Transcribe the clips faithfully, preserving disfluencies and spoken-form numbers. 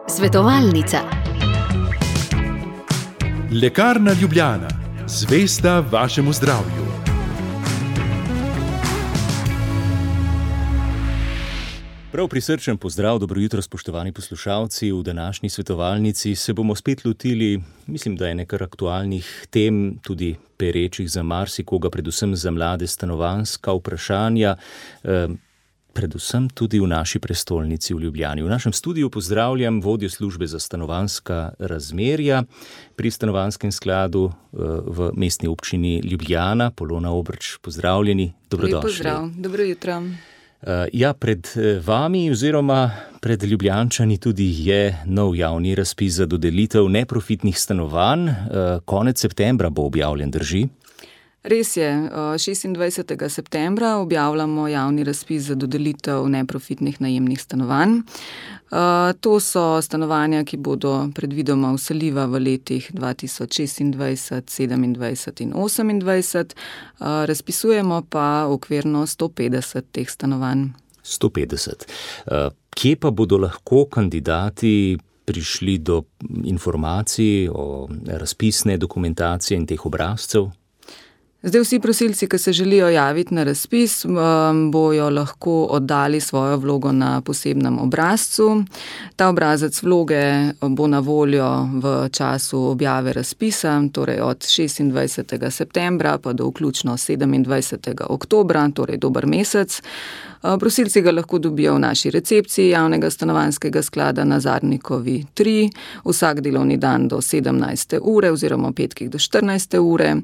Svetovalnica. Lekarna Ljubljana, zvesta vašemu zdravju. Prav prisrčen pozdrav, dobro jutro, spoštovani poslušalci. V današnji svetovalnici se bomo spet lotili, mislim, da je nekaj aktualnih tem, tudi perečih za marsikoga, predvsem za mlade stanovanjska vprašanja, eh, predvsem tudi v naši prestolnici v Ljubljani. V našem studiu pozdravljam vodjo službe za stanovanjska razmerja pri Stanovanjskem skladu eh, v mestni občini Ljubljana, Polona Obrč. Pozdravljeni, dobrodošli. Lep pozdrav, dobro jutro. Ja, pred vami oziroma pred Ljubljančani tudi je nov javni razpis za dodelitev neprofitnih stanovanj. Konec septembra bo objavljen, drži? Res je, šestindvajsetega septembra objavljamo javni razpis za dodelitev neprofitnih najemnih stanovanj. To so stanovanja, ki bodo predvidoma vseljiva v letih dva tisoč šestindvajset, sedemindvajset in osemindvajset. Razpisujemo pa okvirno sto petdeset teh stanovanj. sto petdeset. Kje pa bodo lahko kandidati prišli do informacij o razpisne dokumentacije in teh obrazcev? Zdaj vsi prosilci, ki se želijo javiti na razpis, bojo lahko oddali svojo vlogo na posebnem obrazcu. Ta obrazec vloge bo na voljo v času objave razpisa, torej od šestindvajsetega septembra pa do vključno sedemindvajsetega oktobra, torej dober mesec. Prosilci ga lahko dobijo v naši recepciji javnega stanovanjskega sklada na Zarnikovi tri, vsak delovni dan do sedemnajste ure oziroma petkih do štirinajste ure.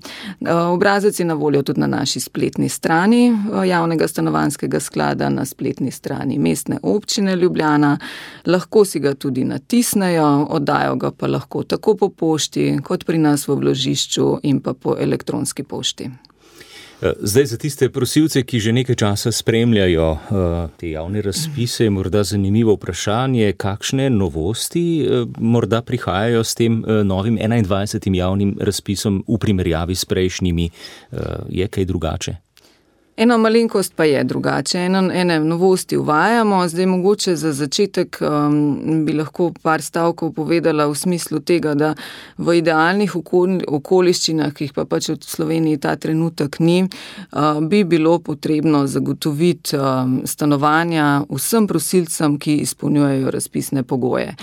Obrazec je na voljo tudi na naši spletni strani javnega stanovanjskega sklada, na spletni strani Mestne občine Ljubljana. Lahko si ga tudi natisnejo, oddajo ga pa lahko tako po pošti, kot pri nas v vložišču in pa po elektronski pošti. Zdaj za tiste prosilce, ki že nekaj časa spremljajo uh, te javne razpise, je morda zanimivo vprašanje, kakšne novosti uh, morda prihajajo s tem uh, novim enaindvajsetim javnim razpisom v primerjavi s prejšnjimi. Uh, je kaj drugače? Eno malenkost pa je drugače, eno, ene novosti uvajamo, zdaj mogoče za začetek um, bi lahko par stavkov povedala v smislu tega, da v idealnih okol, okoliščinah, ki jih pa pač v Sloveniji ta trenutek ni, uh, bi bilo potrebno zagotoviti um, stanovanja vsem prosilcem, ki izpolnjujejo razpisne pogoje.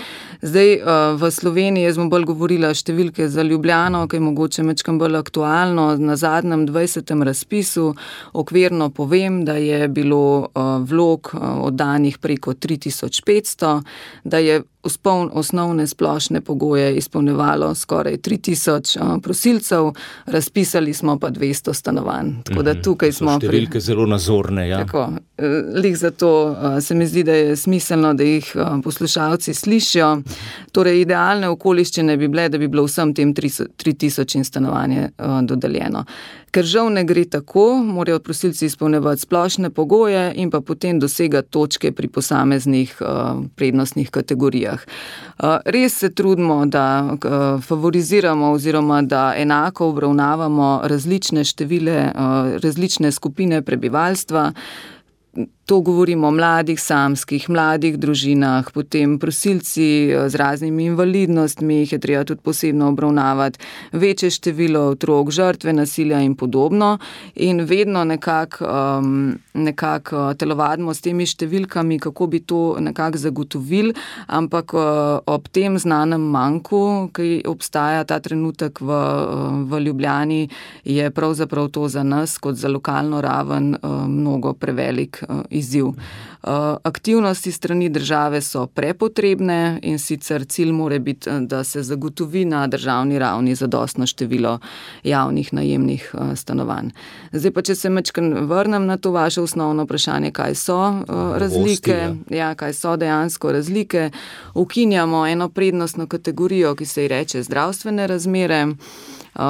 Zdaj uh, v Sloveniji, jaz bom bolj govorila številke za Ljubljano, ki je mogoče mečkam bolj aktualno, na zadnjem dvajsetem razpisu okvirno povem, da je bilo vlog oddanih preko tri tisoč petsto, da je osnovne splošne pogoje izpolnjevalo skoraj tri tisoč prosilcev, razpisali smo pa dvesto stanovanj. Tako da tukaj smo so številke pri... zelo nazorne, ja. Tako, lih zato se mi zdi, da je smiselno, da jih poslušalci slišijo. Torej, idealne okoliščine bi bile, da bi bilo vsem tem tri tisoč stanovanje dodeljeno. Ker žal ne gre tako, morajo prosilci izpolnjevati splošne pogoje in pa potem dosegati točke pri posameznih prednostnih kategorijah. Res se trudimo, da favoriziramo oziroma da enako obravnavamo različne števile, različne skupine prebivalstva. To govorimo o mladih samskih, mladih družinah, potem prosilci z raznimi invalidnostmi, jih je treba tudi posebno obravnavati, večje število otrok, žrtve nasilja in podobno. In vedno nekako um, nekak telovadimo s temi številkami, kako bi to nekako zagotovili, ampak uh, ob tem znanem manku, ki obstaja ta trenutek v, v Ljubljani, je pravzaprav to za nas kot za lokalno raven uh, mnogo prevelik uh, izziv. Aktivnosti strani države so prepotrebne in sicer cilj mora biti, da se zagotovi na državni ravni zadostno število javnih najemnih stanovanj. Zdaj pa, če se majčkeno vrnem na to vaše osnovno vprašanje, kaj so razlike, ja, kaj so dejansko razlike, ukinjamo eno prednostno kategorijo, ki se ji reče zdravstvene razmere.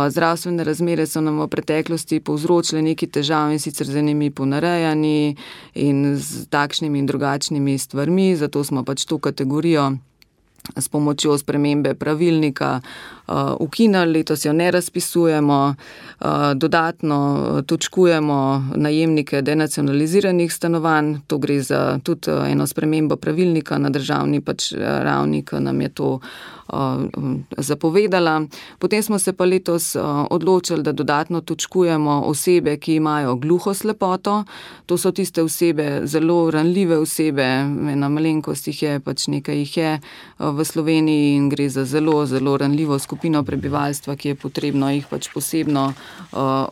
Zdravstvene razmere so nam v preteklosti povzročile neki težav in sicer z enimi ponarejanji in z takšnimi in drugačnimi stvarmi, zato smo pač to kategorijo s pomočjo spremembe pravilnika ukinili, letos jo ne razpisujemo, dodatno točkujemo najemnike denacionaliziranih stanovanj, to gre za tudi eno spremembo pravilnika na državni pač ravni, ki nam je to zapovedala. Potem smo se pa letos odločili, da dodatno točkujemo osebe, ki imajo gluhoslepoto. To so tiste osebe, zelo ranljive osebe, ena malenkost jih je, pač nekaj jih je v Sloveniji in gre za zelo, zelo ranljivo skupino prebivalstva, ki je potrebno jih pač posebno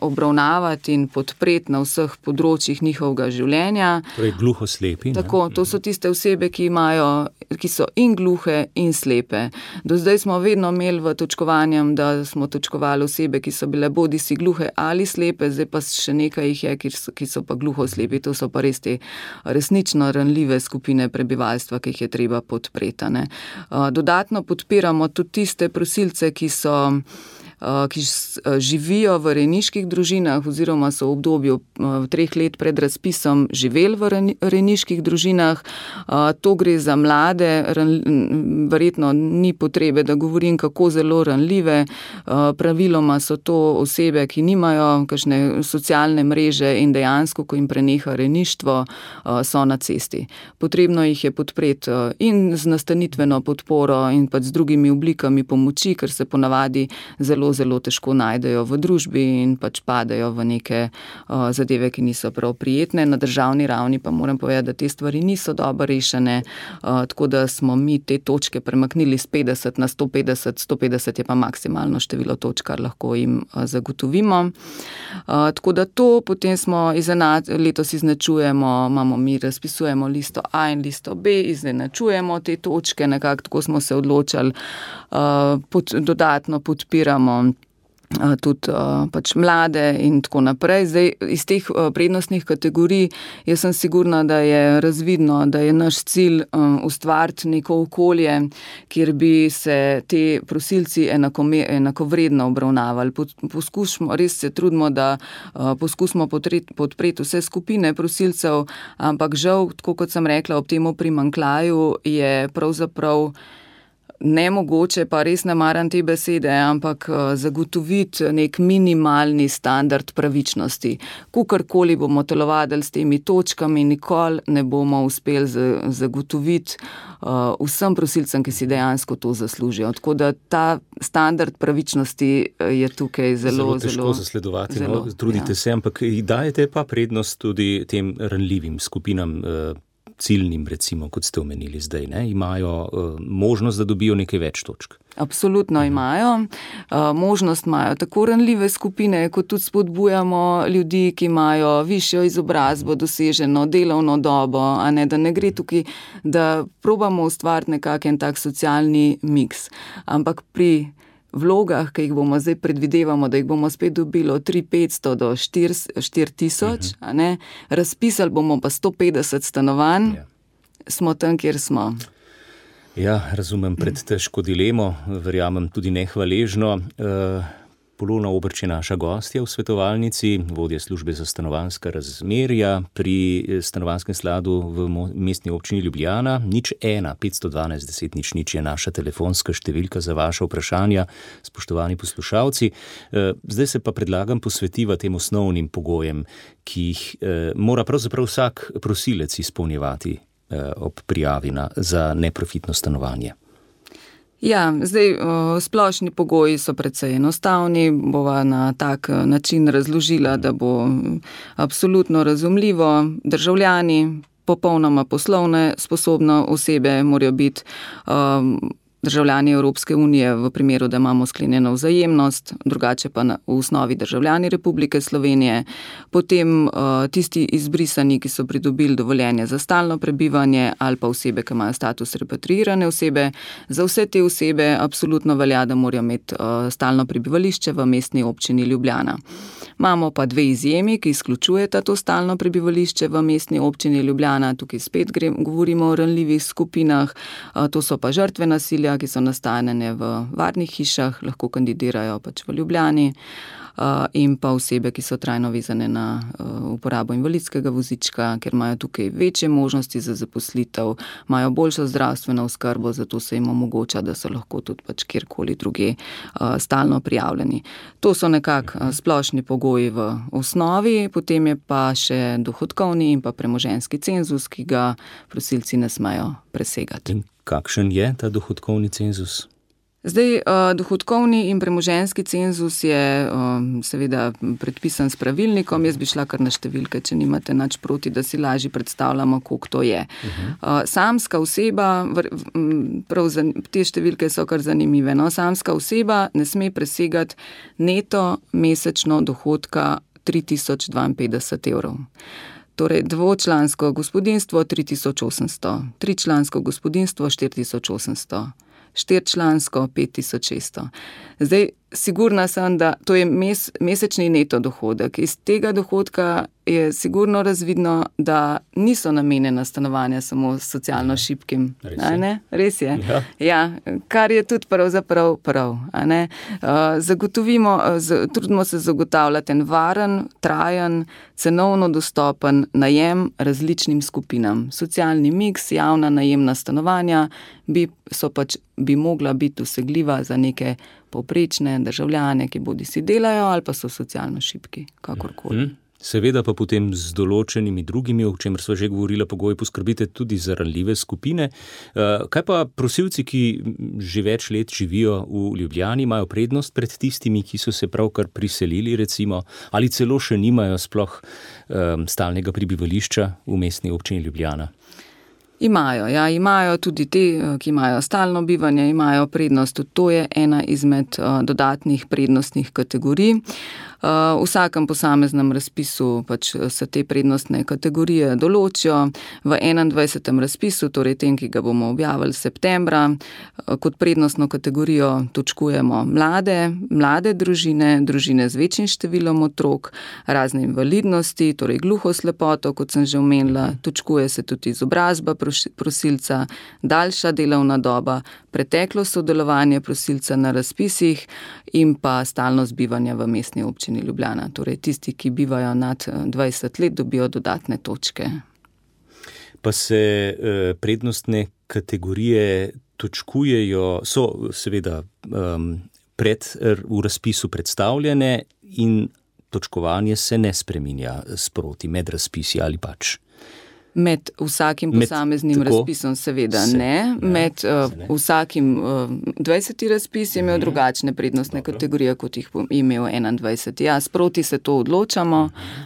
obravnavati in podpreti na vseh področjih njihovega življenja. Torej gluhoslepi. Tako, to so tiste osebe, ki imajo, ki so in gluhe in slepe. Do zdaj smo vedno imeli v točkovanjem, da smo točkovali osebe, ki so bile bodisi gluhe ali slepe, zdaj pa še nekaj jih je, ki so, ki so pa gluhoslepi. To so pa res te resnično ranljive skupine prebivalstva, ki jih je treba podpreti, ne. Dodatno podpiramo tudi tiste prosilce, ki so ki živijo v rejniških družinah oziroma so v obdobju treh let pred razpisom živeli v rejniških družinah. To gre za mlade, verjetno ni potrebe, da govorim, kako zelo ranljive. Praviloma so to osebe, ki nimajo kakšne socialne mreže in dejansko, ko jim preneha rejništvo, so na cesti. Potrebno jih je podpreti in z nastanitveno podporo in pa z drugimi oblikami pomoči, ker se ponavadi zelo zelo težko najdejo v družbi in pač padejo v neke uh, zadeve, ki niso prav prijetne. Na državni ravni pa moram povedati, da te stvari niso dobro rešene, uh, tako da smo mi te točke premaknili z petdeset na sto petdeset, sto petdeset je pa maksimalno število točk, kar lahko jim uh, zagotovimo. Uh, tako da to potem smo izenač, letos iznačujemo, imamo mi razpisujemo listo A in listo B, izenačujemo te točke, nekako tako smo se odločili, uh, pod, dodatno podpiramo tudi pač mlade in tako naprej. Zdaj, iz teh prednostnih kategorij jaz sem sigurna, da je razvidno, da je naš cilj ustvariti neko okolje, kjer bi se te prosilci enakovredno obravnavali. Poskušamo, res se trudimo, da poskusimo podpreti vse skupine prosilcev, ampak žal, tako kot sem rekla, ob temu primanjkljaju je pravzaprav nemogoče, pa res ne maram te besede, ampak zagotoviti nek minimalni standard pravičnosti. Kakorkoli bomo telovadili s temi točkami, nikoli ne bomo uspeli zagotoviti vsem prosilcem, ki si dejansko to zaslužijo. Tako da ta standard pravičnosti je tukaj zelo, zelo težko zelo zasledovati. Zelo, no, trudite ja. se, ampak dajete pa prednost tudi tem ranljivim skupinam, ciljnim, recimo, kot ste omenili zdaj, ne, imajo uh, možnost, da dobijo nekaj več točk. Absolutno imajo. Uh, možnost imajo tako ranljive skupine, kot tudi spodbujamo ljudi, ki imajo višjo izobrazbo, doseženo delovno dobo, a ne, da ne gre tukaj, da probamo ustvariti nekakšen tak socialni miks. Ampak pri vlogah, ki jih bomo zdaj predvidevamo, da jih bomo spet dobili od tri tisoč petsto do štiri tisoč, a ne, razpisali bomo pa sto petdeset stanovanj, ja. Smo tam, kjer smo. Ja, razumem pred težko dilemo, verjamem tudi nehvaležno. Uh... Polona Obrč je naša gostja v svetovalnici, vodja službe za stanovanjska razmerja pri stanovanjskem skladu v mestni občini Ljubljana. Nič ena, petsto dvanajst, deset nič nič je naša telefonska številka za vaše vprašanja, spoštovani poslušalci. Zdaj se pa predlagam posvetiva tem osnovnim pogojem, ki jih mora pravzaprav vsak prosilec izpolnjevati ob prijavi na, za neprofitno stanovanje. Ja, zdaj splošni pogoji so precej enostavni, bova na tak način razložila, da bo absolutno razumljivo. Državljani, popolnoma poslovne sposobne osebe morajo biti um, državljani Evropske unije v primeru, da imamo sklenjeno vzajemnost, drugače pa na, v osnovi državljani Republike Slovenije, potem uh, tisti izbrisani, ki so pridobili dovoljenje za stalno prebivanje ali pa osebe, ki imajo status repatriirane osebe. Za vse te osebe absolutno velja, da morajo imeti uh, stalno prebivališče v mestni občini Ljubljana. Imamo pa dve izjemi, ki izključujeta to stalno prebivališče v mestni občini Ljubljana. Tukaj spet gre, govorimo o ranljivih skupinah, uh, to so pa žrtve nasilja, ki so nastanjene v varnih hišah, lahko kandidirajo pač v Ljubljani. in pa osebe, ki so trajno vezane na uporabo invalidskega vozička, ker imajo tukaj večje možnosti za zaposlitev, imajo boljšo zdravstveno oskrbo, zato se jim omogoča, da so lahko tudi pač kjerkoli druge stalno prijavljeni. To so nekako splošni pogoji v osnovi, potem je pa še dohodkovni in pa premoženjski cenzus, ki ga prosilci ne smejo presegati. In kakšen je ta dohodkovni cenzus? Zdaj, dohodkovni in premoženjski cenzus je seveda predpisan s pravilnikom. Jaz bi šla kar na številke, če nimate nič proti, da si lažje predstavljamo, koliko to je. Uh-huh. Samska oseba, prav te številke so kar zanimive, no? Samska oseba ne sme presegati neto mesečno dohodka tri tisoč dvainpetdeset evrov. Torej, dvočlansko gospodinjstvo tri tisoč osemsto, tričlansko gospodinjstvo štiri tisoč osemsto. Štirčlansko pet tisoč šeststo. Zdaj, sigurna sem, da to je mes, mesečni neto dohodek. Iz tega dohodka je sigurno razvidno, da niso namenjena stanovanja samo socialno šibkim. Res je. Ne? Res je. Ja. Ja, kar je tudi pravzaprav prav. A ne? Zagotovimo, trudimo se zagotavljati en varen, trajen, cenovno dostopen najem različnim skupinam. Socialni miks, javna najemna stanovanja bi, so pač, bi mogla biti dosegljiva za neke povprečne državljane, ki bodi si delajo ali pa so socialno šibki, kakorkoli. Hmm. Seveda pa potem z določenimi drugimi, o čemer sva že govorila, pogoji poskrbite tudi za ranljive skupine. Kaj pa prosilci, ki že več let živijo v Ljubljani, imajo prednost pred tistimi, ki so se pravkar priselili, recimo, ali celo še nimajo sploh um, stalnega prebivališča v mestni občini Ljubljana? Imajo, ja, imajo tudi te, ki imajo stalno bivanje, imajo prednost. Tudi to je ena izmed uh, dodatnih prednostnih kategorij. Uh, v vsakem posameznem razpisu pač se te prednostne kategorije določijo. V enaindvajsetem razpisu, torej tem, ki ga bomo objavili septembra, uh, kot prednostno kategorijo točkujemo mlade, mlade družine, družine z večjim številom otrok, razne invalidnosti, torej gluhoslepoto, kot sem že omenila, točkuje se tudi izobrazba prosilca, daljša delovna doba, preteklo sodelovanje prosilca na razpisih in pa stalnost bivanja v mestni občini Ljubljana. Torej tisti, ki bivajo nad dvajset let, dobijo dodatne točke. Pa se eh, prednostne kategorije točkujejo, so seveda um, pred, v razpisu predstavljene in točkovanje se ne spreminja sproti med razpisi ali pač? Med vsakim posameznim Med, razpisom seveda se, ne. Ja, Med uh, ne. vsakim uh, dvajseti razpis je imel drugačne prednostne Dobro. kategorije, kot jih je imel enaindvajseti. Ja, sproti se to odločamo,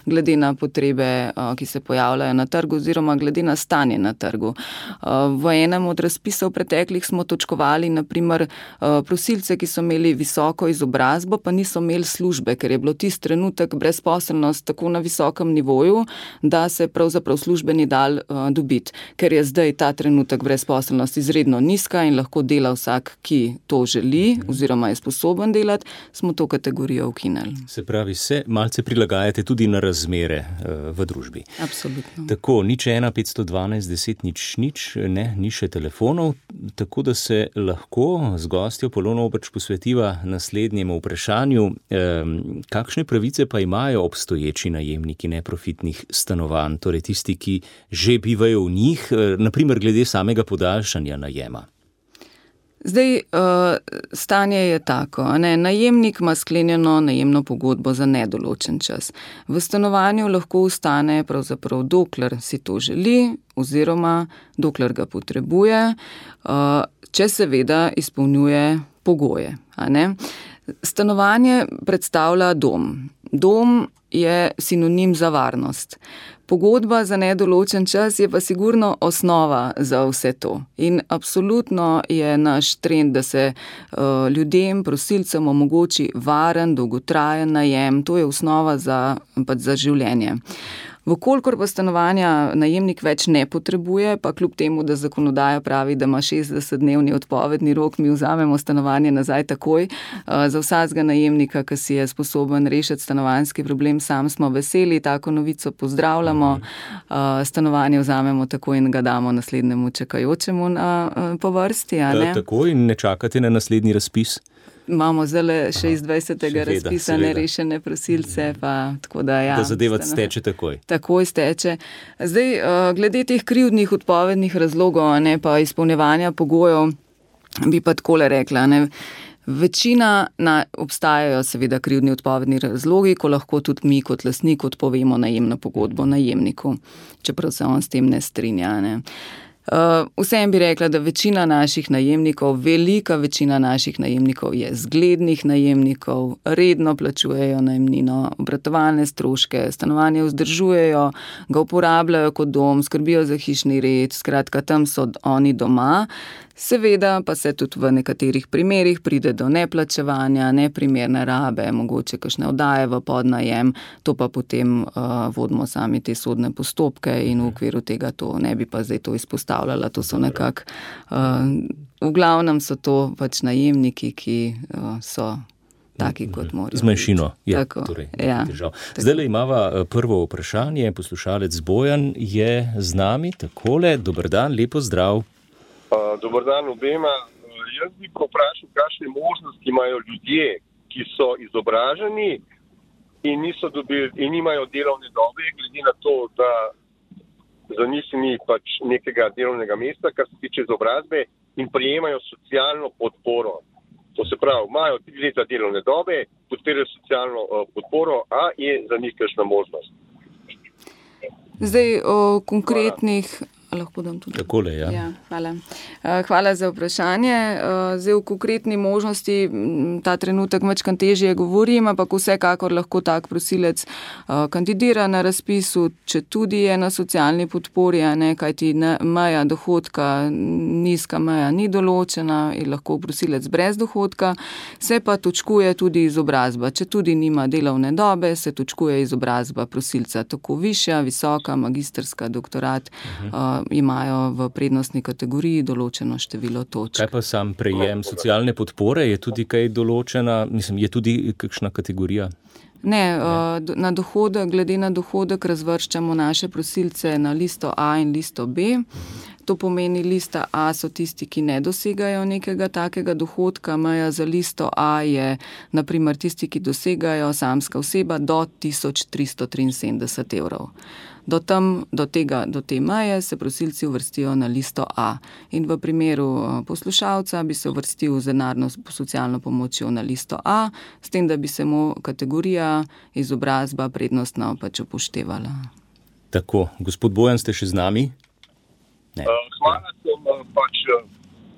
glede na potrebe, uh, ki se pojavljajo na trgu oziroma glede na stanje na trgu. Uh, v enem od razpisov preteklih smo točkovali naprimer uh, prosilce, ki so imeli visoko izobrazbo, pa niso imeli službe, ker je bilo tisti trenutek brezposelnost tako na visokem nivoju, da se pravzaprav službeni dal uh, dobiti. Ker je zdaj ta trenutek brezposelnost izredno nizka in lahko dela vsak, ki to želi oziroma je sposoben delati, smo to kategorijo ukinili. Se pravi, se malce prilagajate tudi na razmere uh, v družbi. Absolutno. Tako, nič ena, petsto dvanajst, deset, nič, nič, ne, ni še telefonov, tako da se lahko z gostjo Polono Obrč posvetiva naslednjemu vprašanju. Um, kakšne pravice pa imajo obstoječi najemniki neprofitnih stanovanj, torej tisti, ki že bivajo v njih, naprimer glede samega podaljšanja najema? Zdaj, stanje je tako, ne? Najemnik ima sklenjeno najemno pogodbo za nedoločen čas. V stanovanju lahko ostane pravzaprav dokler si to želi oziroma dokler ga potrebuje, če seveda izpolnjuje pogoje. A ne? Stanovanje predstavlja dom. Dom je sinonim za varnost. Pogodba za nedoločen čas je pa sigurno osnova za vse to. In absolutno je naš trend, da se uh, ljudem, prosilcem omogoči varen, dolgotrajen najem. To je osnova za, pač za življenje. Vkolikor pa stanovanja najemnik več ne potrebuje, pa kljub temu, da zakonodaja pravi, da ima šestdesetdnevni odpovedni rok, mi vzamemo stanovanje nazaj takoj. Za vsakega najemnika, ki si je sposoben rešiti stanovanjski problem, sam smo veseli, tako novico pozdravljamo. Stanovanje vzamemo takoj in ga damo naslednjemu čakajočemu na, po vrsti. A ne? Takoj in ne čakate na naslednji razpis? imamo zdaj še iz dvajsetega seveda, razpisane seveda. Rešene prosilce, pa tako da ja. Da zadeva stano- steče takoj. Takoj steče. Zdaj, uh, glede teh krivdnih odpovednih razlogov, a ne, pa izpolnjevanja pogojev, bi pa takole rekla, ne. Večina na, obstajajo seveda krivdni odpovedni razlogi, ko lahko tudi mi kot lastnik odpovemo najemno pogodbo najemniku, čeprav se on s tem ne strinja. Ne. Uh, vsem bi rekla, da večina naših najemnikov, velika večina naših najemnikov je zglednih najemnikov, redno plačujejo najemnino, obratovalne stroške, stanovanje vzdržujejo, ga uporabljajo kot dom, skrbijo za hišni red, skratka tam so oni doma. Seveda pa se tudi v nekaterih primerih pride do neplačevanja, neprimerne rabe, mogoče kakšne oddaje v podnajem, to pa potem uh, vodimo sami te sodne postopke in v okviru tega to ne bi pa zdaj to izpostavljala, to so nekako, uh, v glavnem so to pač najemniki, ki uh, so taki, kot morajo. Z manjšino. Ja, Tako, torej, ja. Zdaj le imava prvo vprašanje, poslušalec Bojan je z nami, takole, dober dan, lepo zdrav. Uh, dober dan obema. Uh, jaz bi vprašal, kakšne možnosti imajo ljudje, ki so izobraženi in niso dobili in nimajo delovne dobe, glede na to, da za njih ni pač nekega delovnega mesta, kar se tiče izobrazbe, in prejemajo socialno podporo. To se pravi, imajo tri leta delovne dobe, podpirajo socialno uh, podporo, a je za njih kakšna možnost? Zdaj o konkretnih... Hvala. Lahko dam tudi. Takole, ja. Ja, hvala. Hvala za vprašanje. Zdaj v konkretni možnosti ta trenutek večkrat težje govorim, ampak vsekakor lahko tak prosilec kandidira na razpisu, če tudi je na socialni podpori, ne, kajti meja dohodka, nizka meja ni določena in lahko prosilec brez dohodka, se pa točkuje tudi izobrazba. Če tudi nima delovne dobe, se točkuje izobrazba prosilca, tako višja, visoka, magistrska, doktorat, uh-huh. imajo v prednostni kategoriji določeno število točk. Kaj pa sam prejem socialne podpore? Je tudi kaj določena, mislim, je tudi kakšna kategorija? Ne, ne. Na dohodek, glede na dohodek razvrščamo naše prosilce na listo A in listo B. To pomeni, lista A so tisti, ki ne dosegajo nekega takega dohodka. Meja za listo A je na primer tisti, ki dosegajo samska oseba do tisoč tristo triinsedemdeset evrov. Do, tam, do, tega, do te meje se prosilci uvrstijo na listo A. In v primeru poslušalca bi se uvrstil z denarno socialno pomočjo na listo A, s tem, da bi se mu kategorija izobrazba prednostno pač upoštevala. Tako, gospod Bojan, ste še z nami? Ne. Hvala, sem pač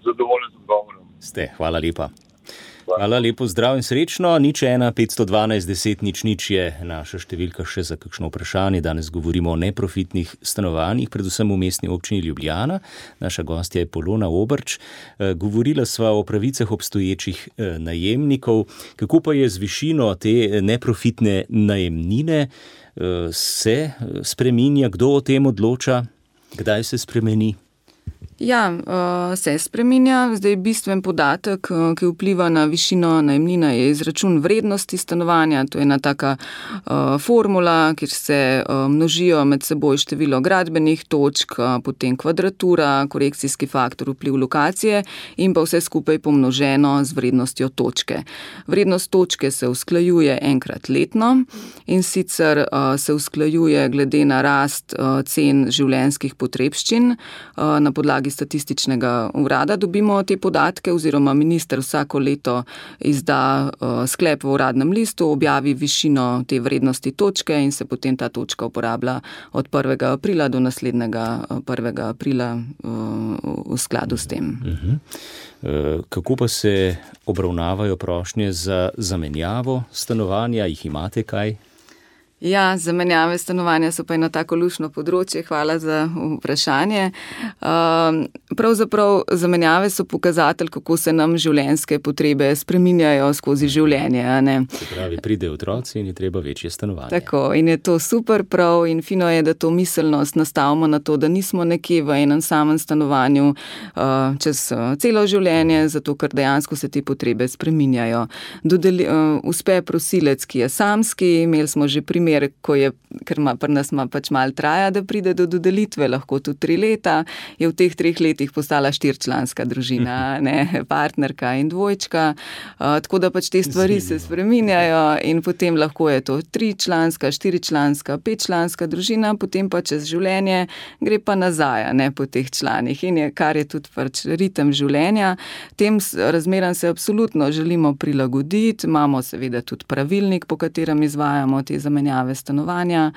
zadovoljen z odgovorom. Ste, hvala lepa. Hvala, lepo zdrav in srečno. Nič ena, petsto dvanajst, deset, nič, nič je naša številka še za kakšno vprašanje. Danes govorimo o neprofitnih stanovanjih, predvsem v mestni občini Ljubljana. Naša gostja je Polona Obrč. Govorila sva o pravicah obstoječih najemnikov. Kako pa je z višino te neprofitne najemnine? Se spreminja? Kdo o tem odloča? Kdaj se spremeni? Ja, se spreminja. Zdaj bistven podatek, ki vpliva na višino najemnine, je izračun vrednosti stanovanja. To je ena taka uh, formula, kjer se uh, množijo med seboj število gradbenih točk, uh, potem kvadratura, korekcijski faktor, vpliv lokacije in pa vse skupaj pomnoženo z vrednostjo točke. Vrednost točke se usklajuje enkrat letno in sicer uh, se usklajuje glede na rast uh, cen življenjskih potrebščin uh, na podlagi statističnega urada dobimo te podatke oziroma minister vsako leto izda uh, sklep v uradnem listu, objavi višino te vrednosti točke in se potem ta točka uporablja od prvega aprila do naslednjega prvega aprila uh, v skladu s tem. Uh-huh. Uh, kako pa se obravnavajo prošnje za zamenjavo stanovanja? Jih imate kaj? Ja, zamenjave stanovanja so pa eno tako lušno področje, hvala za vprašanje. Pravzaprav zamenjave so pokazatelj, kako se nam življenjske potrebe spreminjajo skozi življenje. Ne? Se pravi, pridejo otroci in je treba večje stanovanje. Tako, in je to super prav in fino je, da to miselnost nastavimo na to, da nismo nekje v enem samem stanovanju čez celo življenje, zato ker dejansko se te potrebe spreminjajo. Dodeli, uspe prosilec, ki je samski, imeli smo že primer primer, ko je, ker ima pri nas ima pač malo traja, da pride do dodelitve, lahko tudi tri leta, je v teh treh letih postala štiričlanska družina, ne, partnerka in dvojčka, uh, tako da pač te stvari se spreminjajo in potem lahko je to tričlanska, štiričlanska, petčlanska družina, potem pa čez življenje gre pa nazaj, ne, po teh članih in je, kar je tudi pač ritem življenja. Tem razmeram se absolutno želimo prilagoditi, imamo seveda tudi pravilnik, po katerem izvajamo te zamenjave stanovanja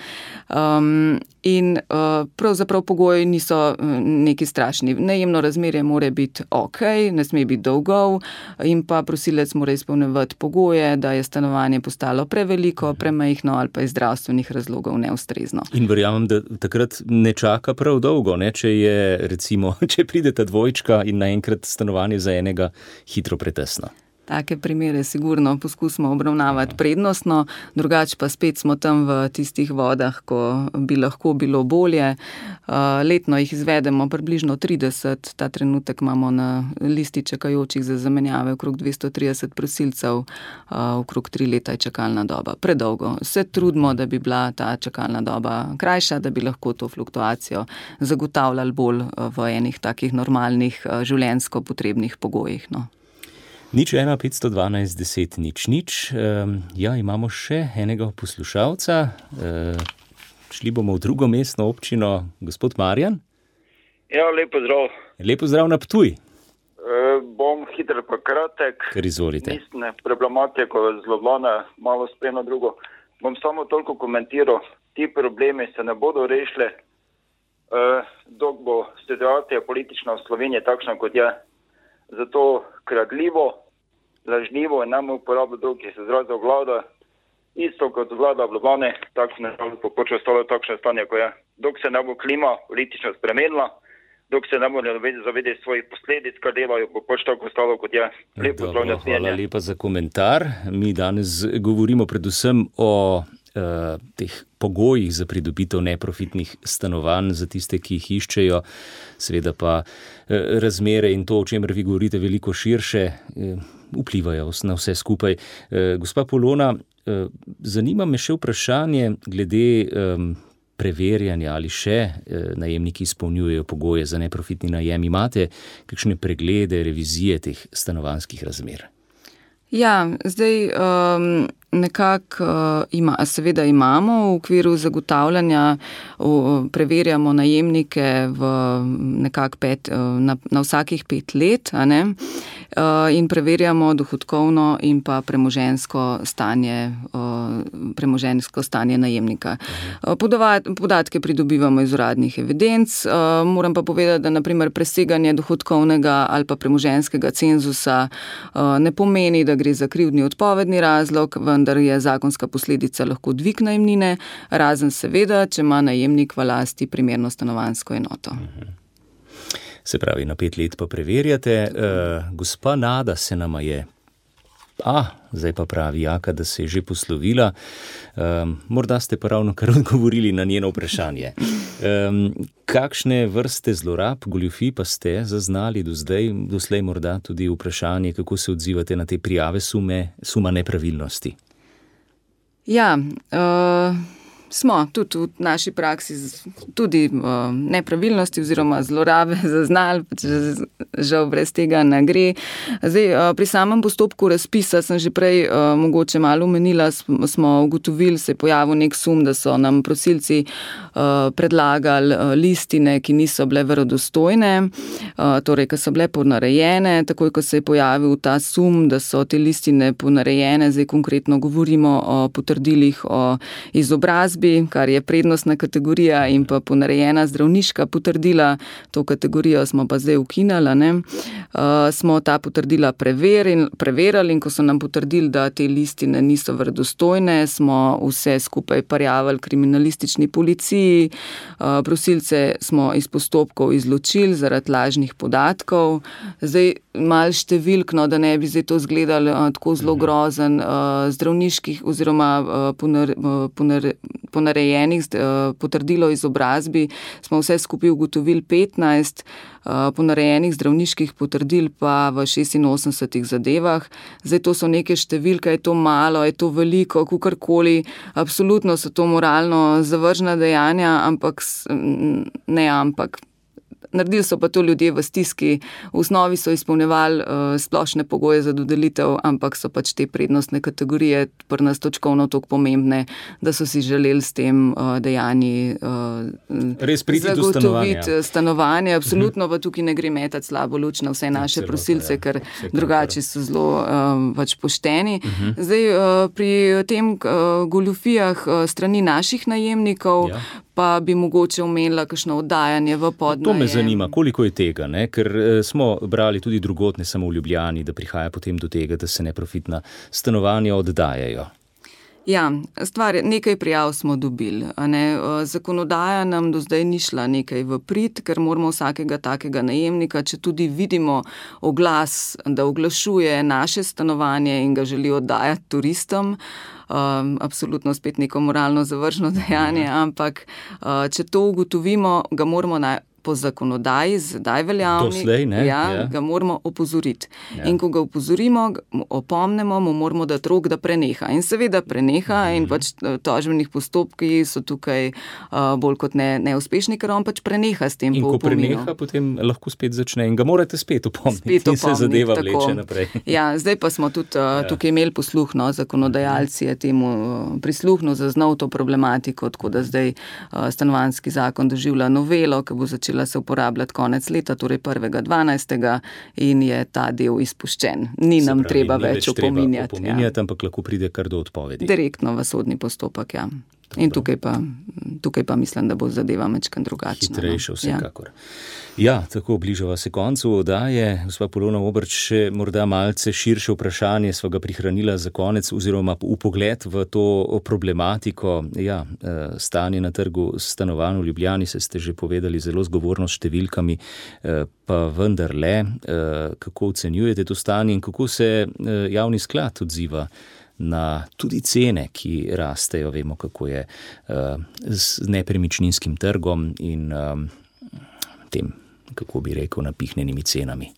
um, in uh, pravzaprav pogoji niso neki strašni. Najemno razmerje mora biti ok, ne sme biti dolgov in pa prosilec mora izpolnjevati pogoje, da je stanovanje postalo preveliko, premajhno ali pa iz zdravstvenih razlogov neustrezno. In verjamem, da takrat ne čaka prav dolgo, ne? Če je recimo, če pride ta dvojčka in naenkrat stanovanje za enega hitro pretesno. Take primere sigurno poskusimo obravnavati prednostno, drugače pa spet smo tam v tistih vodah, ko bi lahko bilo bolje. Letno jih izvedemo približno trideset, ta trenutek imamo na listi čakajočih za zamenjave okrog dvesto trideset prosilcev, okrog tri leta je čakalna doba. Predolgo. Se trudimo, da bi bila ta čakalna doba krajša, da bi lahko to fluktuacijo zagotavljali bolj v enih takih normalnih življenjsko potrebnih pogojih, no. Nič ena, petsto dvanajst, deset, nič, nič. Um, ja, imamo še enega poslušalca. Uh, šli bomo v drugo mestno občino. Gospod Marjan? Ja, lepo zdrav. Lepo zdrav na Ptuj. Uh, bom hiter pa kratek. Kar izvolite. Mestne problematiko zelo vlana, malo spremno drugo. Bom samo toliko komentiral. Ti problemi se ne bodo rešili, uh, dok bo situacija politična v Sloveniji takšna, kot je. Zato kradljivo, lažnivo in nam uporabo drug, ki se izrazil vlada, isto kot vlada v Ljubljani, tako se ne bo pač ostalo takšno stanje, ko je. Dok se ne bo klima politično spremenila, dok se ne bo zavedeti svojih posledic, kar delajo, bo pač tako ostalo, kot je. Lepo Dobro, hvala lepa za komentar. Mi danes govorimo predvsem o uh, teh pogojih za pridobitev neprofitnih stanovanj za tiste, ki jih iščejo, seveda pa uh, razmere in to, o čemer vi govorite, veliko širše, uh, vplivajo na vse skupaj. Uh, gospa Polona, uh, zanima me še vprašanje glede um, preverjanja, ali še uh, najemniki izpolnjujejo pogoje za neprofitni najem. Imate kakšne preglede, revizije teh stanovanjskih razmer? Ja, zdaj um, nekako uh, ima, seveda imamo v okviru zagotavljanja, uh, preverjamo najemnike v nekako pet, uh, na, na vsakih pet let, a ne? Uh, in preverjamo dohodkovno in pa premoženjsko stanje, uh, premoženjsko stanje najemnika. Uh, podovat, podatke pridobivamo iz uradnih evidenc, uh, moram pa povedati, da naprimer preseganje dohodkovnega ali pa premoženjskega cenzusa uh, ne pomeni, da gre za krivdni odpovedni razlog, vendar je zakonska posledica lahko dvig najemnine, razen seveda, če ima najemnik v lasti primerno stanovanjsko enoto. Mhm. Se pravi, na pet let pa preverjate. Uh, gospa Nada se nama je, a, zdaj pa pravi Jaka, da se je že poslovila. Um, morda ste pa ravno kar odgovorili na njeno vprašanje. Um, kakšne vrste zlorab, goljufij pa ste zaznali do zdaj, doslej morda tudi vprašanje, kako se odzivate na te prijave sume, suma nepravilnosti? Ja, uh... smo tudi v naši praksi tudi uh, nepravilnosti oziroma zlorabe zaznali, žal brez tega ne gre. Zdaj, uh, pri samem postopku razpisa sem že prej uh, mogoče malo omenila, smo ugotovili, se je pojavil nek sum, da so nam prosilci uh, predlagali uh, listine, ki niso bile verodostojne, uh, torej, ki so bile ponarejene, takoj, ko se je pojavil ta sum, da so te listine ponarejene, zdaj konkretno govorimo o potrdilih o izobrazbi, kar je prednostna kategorija in pa ponarejena zdravniška potrdila, to kategorijo smo pa zdaj ukinali, ne. Uh, smo ta potrdila preverili, preverili in ko so nam potrdili, da te listine niso verodostojne, smo vse skupaj prijavili kriminalistični policiji, uh, prosilce smo iz postopkov izločili zaradi lažnih podatkov. Zdaj malo številkno, da ne bi zdaj to izgledalo uh, tako zelo grozen, uh, zdravniških oziroma uh, ponar, uh, ponar, ponarejenih potrdilo o izobrazbi smo vse skupaj ugotovili petnajst, ponarejenih zdravniških potrdil pa v šestinosemdesetih zadevah. Zdaj to so neke številke, je to malo, je to veliko, kakorkoli, absolutno so to moralno zavržna dejanja, ampak ne, ampak naredili so pa to ljudje v stiski, v osnovi so izpolnjevali uh, splošne pogoje za dodelitev, ampak so pač te prednostne kategorije pri nas točkovno toliko pomembne, da so si želeli s tem uh, dejanji uh, res priti do stanovanja. stanovanje. Absolutno pa tukaj ne gre metati slabo luč na vse naše Celota, prosilce, ja. ker Vse drugače so zelo uh, pač pošteni. Uh-huh. Zdaj uh, pri tem uh, goljufijah uh, strani naših najemnikov ja. pa bi mogoče omenila kakšno oddajanje v podnajem. To me zanima, koliko je tega, ne? Ker smo brali tudi drugod, ne samo v Ljubljani, da prihaja potem do tega, da se neprofitna stanovanja oddajajo. Ja, stvar je, nekaj prijav smo dobili. Ne? Zakonodaja nam do zdaj ni šla nekaj v prid, ker moramo vsakega takega najemnika, če tudi vidimo oglas, da oglašuje naše stanovanje in ga želi oddajati turistom, Um, absolutno spet neko moralno zavržno dejanje, ampak uh, če to ugotovimo, ga moramo na, po zakonodaji, zdaj veljavni, Doslej, ne? Ja, ja. ga moramo opozoriti. Ja. In ko ga opozorimo, opomnemo, mu moramo dati rok, da preneha. In seveda preneha mm-hmm. in pač tožbenih postopki so tukaj uh, bolj kot ne, neuspešni, ker on pač preneha s tem in po ko opominu. preneha, potem lahko spet začne in ga morate spet opomniti. Spet opomniti, in se zadeva tako. vleče naprej. Ja, zdaj pa smo tudi uh, ja. tukaj imeli posluh, no, zakonodajalci je temu uh, prisluhnil, zaznal to problematiko, tako da zdaj uh, stanovanjski zakon doživlja novelo, ki bo začela se uporabljati konec leta, torej prvega dvanajstega in je ta del izpuščen. Ni se nam pravi, treba ni več opominjati. Treba opominjati, ja. ampak lahko pride kar do odpovedi. Direktno v sodni postopek, ja. Dobro. In tukaj pa, tukaj pa mislim, da bo zadeva mečkan drugačna. Hitrejše no. vsekakor. Ja. ja, tako bližava se koncu oddaje. Gospa Polona Obrč, še morda malce širše vprašanje sva ga prihranila za konec oziroma upogled v to problematiko. Ja, stanje na trgu stanovanj v Ljubljani, se ste že povedali zelo zgovorno s številkami, pa vendarle, kako ocenjujete to stanje in kako se javni sklad odziva na tudi cene, ki rastejo, vemo, kako je uh, z nepremičninskim trgom in um, tem, kako bi rekel, napihnjenimi cenami.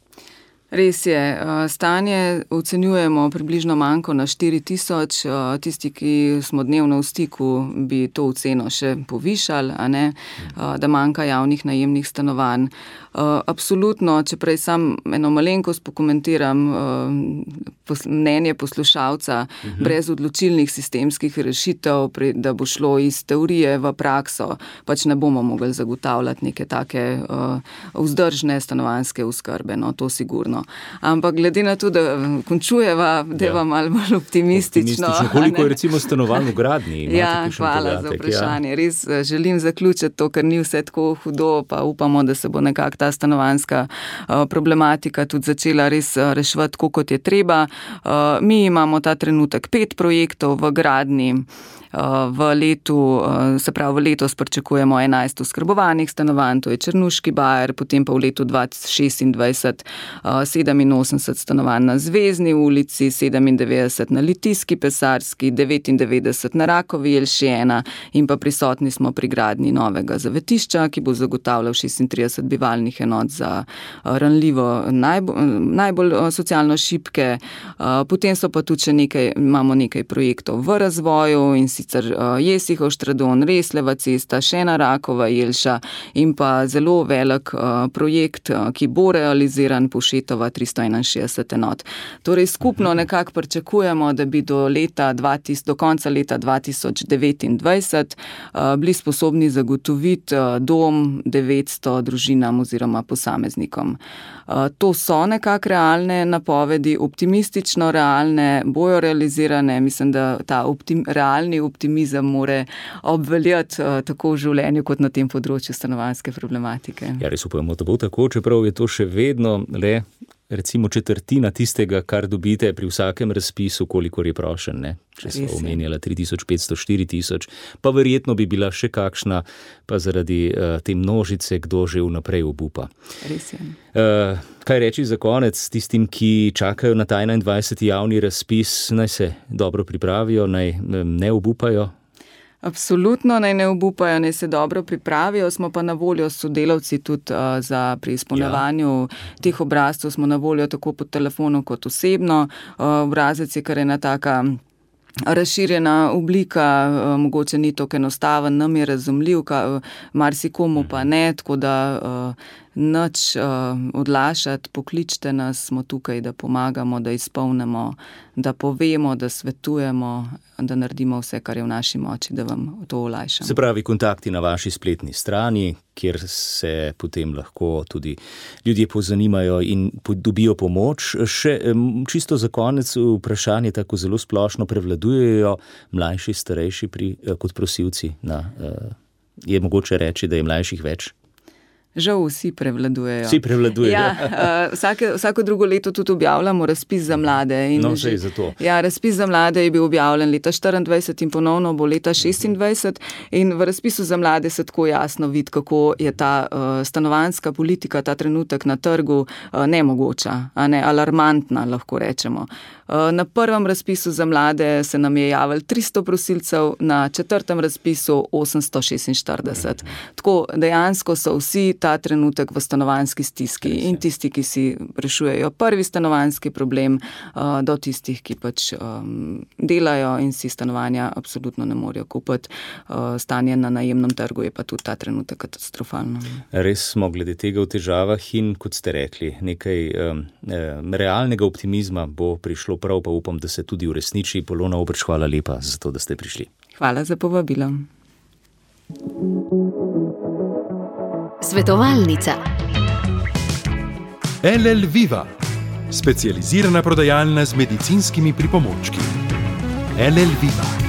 Res je, stanje ocenjujemo približno manjko na štiri tisoč, tisti, ki smo dnevno v stiku, bi to oceno še povišali, a ne, da manjka javnih najemnih stanovanj. Absolutno, če prej sam eno malenkost pokomentiram mnenje poslušalca, uh-huh. brez odločilnih sistemskih rešitev, da bo šlo iz teorije v prakso, pač ne bomo mogli zagotavljati neke take vzdržne stanovanjske oskrbe, no, to sigurno. Ampak glede na to, da končujeva, da je vam malo bolj optimistično. optimistično. Koliko je recimo stanovanj v gradnji? Ja, hvala podatek, za vprašanje. Ja. Res želim zaključiti to, ker ni vse tako hudo, pa upamo, da se bo nekako ta stanovanjska problematika tudi začela res reševati tako, kot je treba. Mi imamo ta trenutek pet projektov v gradnji. V letu, se pravi v letos pričakujemo enajst oskrbovanih stanovanj, to je Črnuški bajer, potem pa v letu dva tisoč šestindvajset sedeminosemdeset stanovanj na Zvezni ulici, sedemindevetdeset na Litijski, Pesarski, devetindevetdeset na Rakovi Jelši ena in pa prisotni smo pri gradnji novega zavetišča, ki bo zagotavljal šestintrideset bivalnih enot za ranljivo najbolj, najbolj socialno šibke. Potem so pa tudi še nekaj, imamo nekaj projektov v razvoju in sicer Jesihov Štradon, Resleva cesta, še ena Rakova Jelša in pa zelo velik projekt, ki bo realiziran, Povšetova tristo enainšestdeset enot. Torej skupno nekako pričakujemo, da bi do, leta dva tisoč, do konca leta dva tisoč devetindvajset bili sposobni zagotoviti dom devetsto družinam oziroma posameznikom. To so nekako realne napovedi, optimistično realne, bojo realizirane. Mislim, da ta optim, realni optimizem more obveljati tako v življenju kot na tem področju stanovanjske problematike. Ja, res upamo, da bo tako, čeprav je to še vedno le recimo četrtina tistega, kar dobite pri vsakem razpisu, kolikor je prošen, ne? Če smo omenjala tri tisoč petsto, štiri tisoč, pa verjetno bi bila še kakšna, pa zaradi uh, te množice, kdo že vnaprej obupa. Res je. Uh, kaj reči za konec tistim, ki čakajo na ta enaindvajseti javni razpis, naj se dobro pripravijo, naj um, ne obupajo? Absolutno, naj ne obupajo, naj se dobro pripravijo, smo pa na voljo s sodelavci tudi uh, za pri izpolnjevanju ja. teh obrazcev, smo na voljo tako po telefonu kot osebno. Uh, obrazec je kar ena taka razširjena oblika, uh, mogoče ni tako enostaven, nam je razumljiv, ka, marsikomu pa ne, tako da uh, nič uh, odlašati, pokličite nas, smo tukaj, da pomagamo, da izpolnimo, da povemo, da svetujemo, da naredimo vse, kar je v naši moči, da vam to olajšamo. Se pravi, kontakti na vaši spletni strani, kjer se potem lahko tudi ljudje pozanimajo in dobijo pomoč. Še čisto za konec vprašanje, tako zelo splošno, prevladujejo mlajši, starejši pri, kot prosilci? Na, je mogoče reči, da je mlajših več? Žal vsi prevladujejo. Vsi prevladujejo. Ja, uh, vsake, vsako drugo leto tudi objavljamo razpis za mlade. In no, že, za to. Ja, razpis za mlade je bil objavljen leta štiriindvajset in ponovno bo leta šestindvajset. In v razpisu za mlade se tako jasno vidi, kako je ta uh, stanovanjska politika, ta trenutek na trgu uh, nemogoča, a ne, alarmantna, lahko rečemo. Uh, na prvem razpisu za mlade se nam je javilo tristo prosilcev, na četrtem razpisu osemsto šestinštirideset. Tako dejansko so vsi ta trenutek v stanovanjski stiski in tisti, ki si rešujejo prvi stanovanjski problem, uh, do tistih, ki pač um, delajo in si stanovanja absolutno ne morejo kupiti. Uh, stanje na najemnem trgu je pa tudi ta trenutek katastrofalno. Res smo glede tega v težavah in, kot ste rekli, nekaj um, realnega optimizma bo prišlo prav, pa upam, da se tudi uresniči. Polona Obrč, hvala lepa za to, da ste prišli. Hvala za povabilo. Svetovalnica. L L Viva, specializirana prodajalna z medicinskimi pripomočki. L L Viva.